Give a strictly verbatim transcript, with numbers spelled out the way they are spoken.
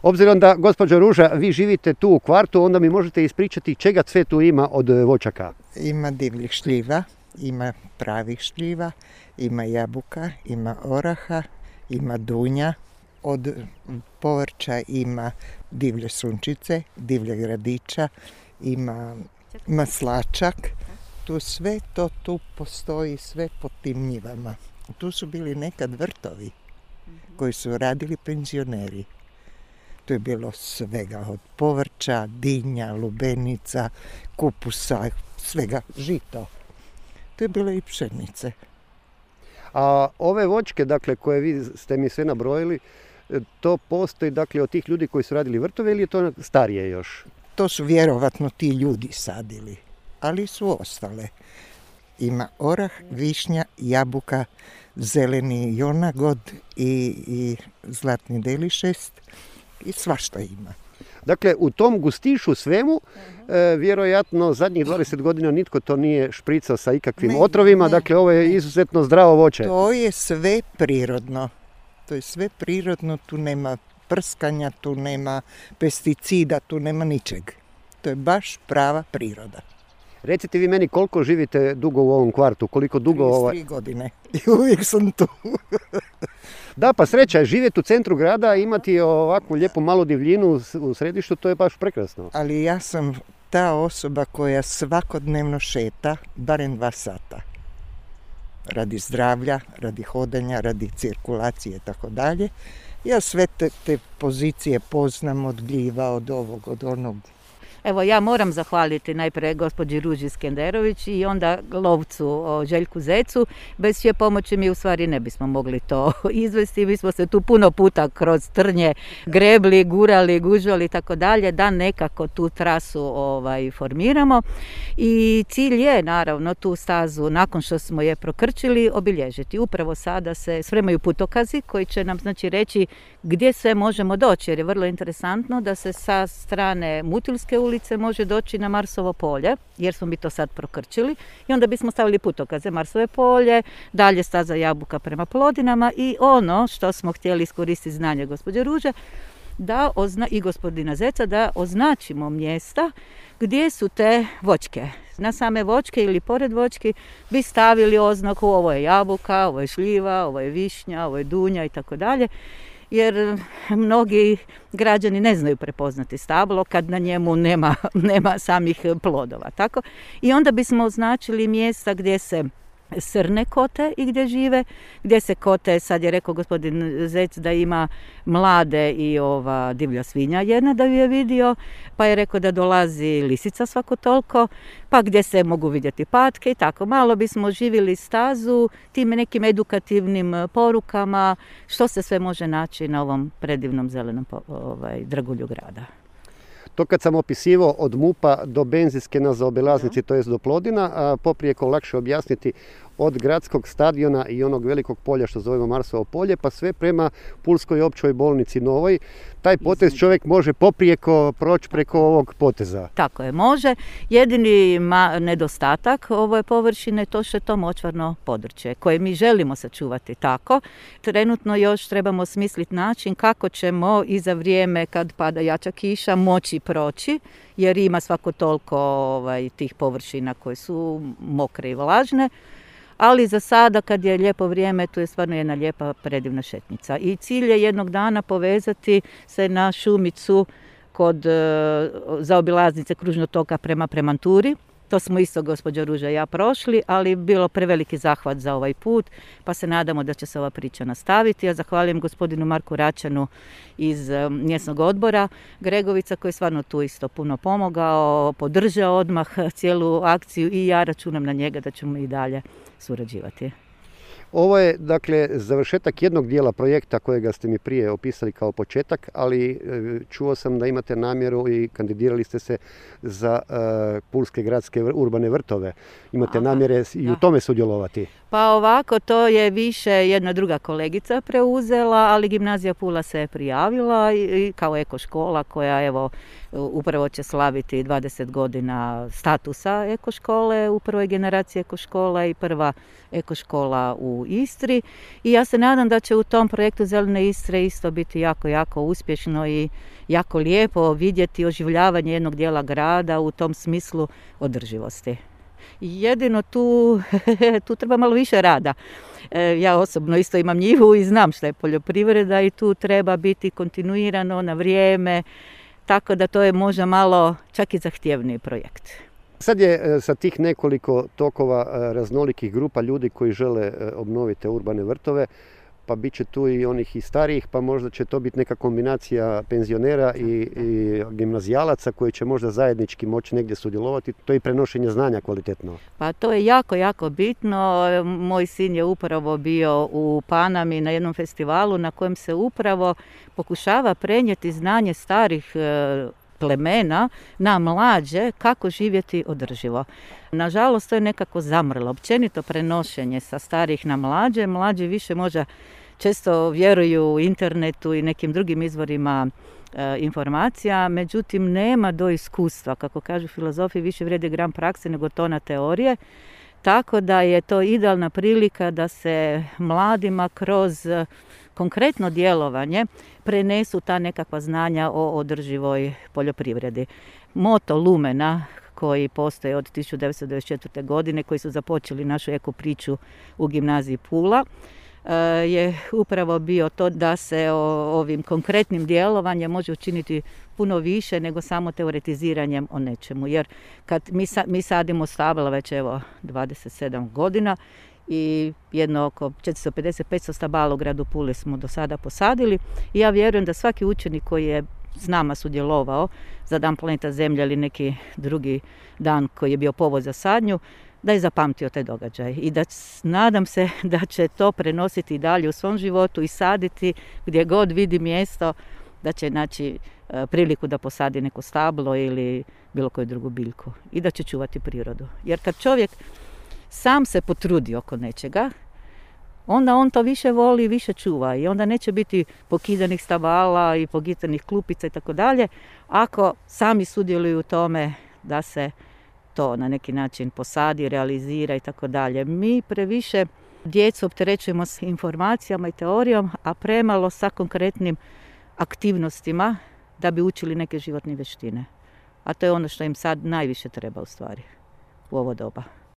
Obzirom da, gospođo Ruža, vi živite tu u kvartu, onda mi možete ispričati čega sve tu ima od voćaka. Ima divljih šljiva, ima pravih šljiva, ima jabuka, ima oraha, ima dunja. Od povrća ima divlje sunčice, divlje gradića, ima maslačak. Tu sve to tu postoji, sve po tim njivama. Tu su bili nekad vrtovi koji su radili penzioneri. Tu je bilo svega od povrća, dinja, lubenica, kupusa, svega, žito. Tu je bilo i pšenice. A ove voćke, dakle, koje vi ste mi sve nabrojili, to postoji, dakle, od tih ljudi koji su radili vrtove ili je to starije još? To su vjerovatno ti ljudi sadili, ali su ostale. Ima orah, višnja, jabuka, zeleni jonagod i, i zlatni delišest i svašta ima. Dakle, u tom gustišu svemu, e, vjerojatno zadnjih dvadeset godina nitko to nije špricao sa ikakvim ne, otrovima, ne, dakle ovo je ne. izuzetno zdravo voće. To je sve prirodno. To je sve prirodno, tu nema prskanja, tu nema pesticida, tu nema ničeg. To je baš prava priroda. Recite vi meni koliko živite dugo u ovom kvartu, koliko dugo... trideset tri godine i uvijek sam tu. Da, pa sreća je živjeti u centru grada, imati ovakvu lijepu malu divljinu u središtu, to je baš prekrasno. Ali ja sam ta osoba koja svakodnevno šeta barem dva sata. Radi zdravlja, radi hodanja, radi cirkulacije i tako dalje. Ja sve te, te pozicije poznam od gljiva, od ovog, od onog. Evo, ja moram zahvaliti najprije gospođi Ruži Skenderović i onda lovcu Željku Zecu. Bez čije pomoći mi u stvari ne bismo mogli to izvesti. Mi smo se tu puno puta kroz trnje grebli, gurali, gužvali i tako dalje, da nekako tu trasu ovaj, formiramo. I cilj je, naravno, tu stazu, nakon što smo je prokrčili, obilježiti. Upravo sada se spremaju putokazi koji će nam znači reći gdje sve možemo doći, jer je vrlo interesantno da se sa strane Mutilske ulice može doći na Marsovo polje, jer smo mi to sad prokrčili i onda bismo stavili putokaze Marsove polje, dalje staza Jabuka prema Plodinama i ono što smo htjeli iskoristiti znanje gospođe Ruže da ozna, i gospodina Zeca da označimo mjesta gdje su te voćke. Na same voćke ili pored voćki bi stavili oznaku ovo je jabuka, ovo je šljiva, ovo je višnja, ovo je dunja i tako dalje. Jer mnogi građani ne znaju prepoznati stablo kad na njemu nema, nema samih plodova. Tako? I onda bismo označili mjesta gdje se srne kote i gdje žive, gdje se kote, sad je rekao gospodin Zec da ima mlade i ova divlja svinja jedna da ju je vidio, pa je rekao da dolazi lisica svako toliko, pa gdje se mogu vidjeti patke i tako. Malo bismo živjeli stazu tim nekim edukativnim porukama što se sve može naći na ovom predivnom zelenom ovaj, dragulju grada. To kad sam opisivao od Mupa do benzinske na zaobilaznici, to jest do Plodina, a poprijeko lakše objasniti od gradskog stadiona i onog velikog polja što zovemo Marsovo polje, pa sve prema Pulskoj općoj bolnici Novoj. Taj potez čovjek može poprijeko proći preko ovog poteza. Tako je, može. Jedini ma, nedostatak ove površine to što je to močvarno područje koje mi želimo sačuvati tako. Trenutno još trebamo smisliti način kako ćemo i za vrijeme kad pada jača kiša moći proći, jer ima svako toliko ovaj, tih površina koje su mokre i vlažne. Ali za sada kad je lijepo vrijeme, tu je stvarno jedna lijepa predivna šetnica. I cilj je jednog dana povezati se na šumicu kod e, zaobilaznice kružnog toka prema Premanturi. To smo isto gospođa Ruža i ja prošli, ali bilo preveliki zahvat za ovaj put, pa se nadamo da će se ova priča nastaviti. Ja zahvaljujem gospodinu Marku Račanu iz mjesnog odbora Gregovica koji je stvarno tu isto puno pomogao, podržao odmah cijelu akciju i ja računam na njega da ćemo i dalje surađivati. Ovo je, dakle, završetak jednog dijela projekta kojega ste mi prije opisali kao početak, ali čuo sam da imate namjeru i kandidirali ste se za uh, Pulske gradske urbane vrtove. Imate Aha, namjere i u tome sudjelovati? Pa ovako, to je više jedna druga kolegica preuzela, ali Gimnazija Pula se je prijavila i, i kao ekoškola koja evo upravo će slaviti dvadeset godina statusa ekoškole u prvoj generaciji ekoškola i prva ekoškola u Istri. I ja se nadam da će u tom projektu Zelene Istre isto biti jako, jako uspješno i jako lijepo vidjeti oživljavanje jednog dijela grada u tom smislu održivosti. Jedino tu, tu treba malo više rada. E, ja osobno isto imam njivu i znam što je poljoprivreda i tu treba biti kontinuirano, na vrijeme, tako da to je možda malo čak i zahtjevniji projekt. Sad je sa tih nekoliko tokova raznolikih grupa ljudi koji žele obnoviti urbane vrtove, pa bit će tu i onih i starijih, pa možda će to biti neka kombinacija penzionera i, i gimnazijalaca koji će možda zajednički moći negdje sudjelovati. To je i prenošenje znanja kvalitetno. Pa to je jako, jako bitno. Moj sin je upravo bio u Panami na jednom festivalu na kojem se upravo pokušava prenijeti znanje starih plemena na mlađe kako živjeti održivo. Nažalost, to je nekako zamrlo. Općenito prenošenje sa starih na mlađe. Mlađi više možda često vjeruju internetu i nekim drugim izvorima e, informacija, međutim nema do iskustva. Kako kažu filozofi, više vrijedi gram prakse nego tona teorije. Tako da je to idealna prilika da se mladima kroz konkretno djelovanje prenesu ta nekakva znanja o održivoj poljoprivredi. Moto Lumena koji postoje od tisuću devetsto devedeset četvrte. godine, koji su započeli našu eko priču u Gimnaziji Pula, je upravo bio to da se ovim konkretnim djelovanjem može učiniti puno više nego samo teoretiziranjem o nečemu. Jer kad mi, mi sadimo stabla već evo dvadeset sedam godina i jedno oko četiristo pedeset do petsto stabala u gradu Puli smo do sada posadili i ja vjerujem da svaki učenik koji je s nama sudjelovao za Dan planeta Zemlje ili neki drugi dan koji je bio povod za sadnju, da je zapamtio taj događaj i da nadam se da će to prenositi i dalje u svom životu i saditi gdje god vidi mjesto, da će naći priliku da posadi neko stablo ili bilo koju drugu biljku i da će čuvati prirodu. Jer kad čovjek sam se potrudi oko nečega, onda on to više voli, više čuva i onda neće biti pokidanih stabala i pokidanih klupica i tako dalje, ako sami sudjeluju u tome da se to na neki način posadi, realizira i tako dalje. Mi previše djecu opterećujemo s informacijama i teorijom, a premalo sa konkretnim aktivnostima da bi učili neke životne vještine. A to je ono što im sad najviše treba u stvari u ovo doba.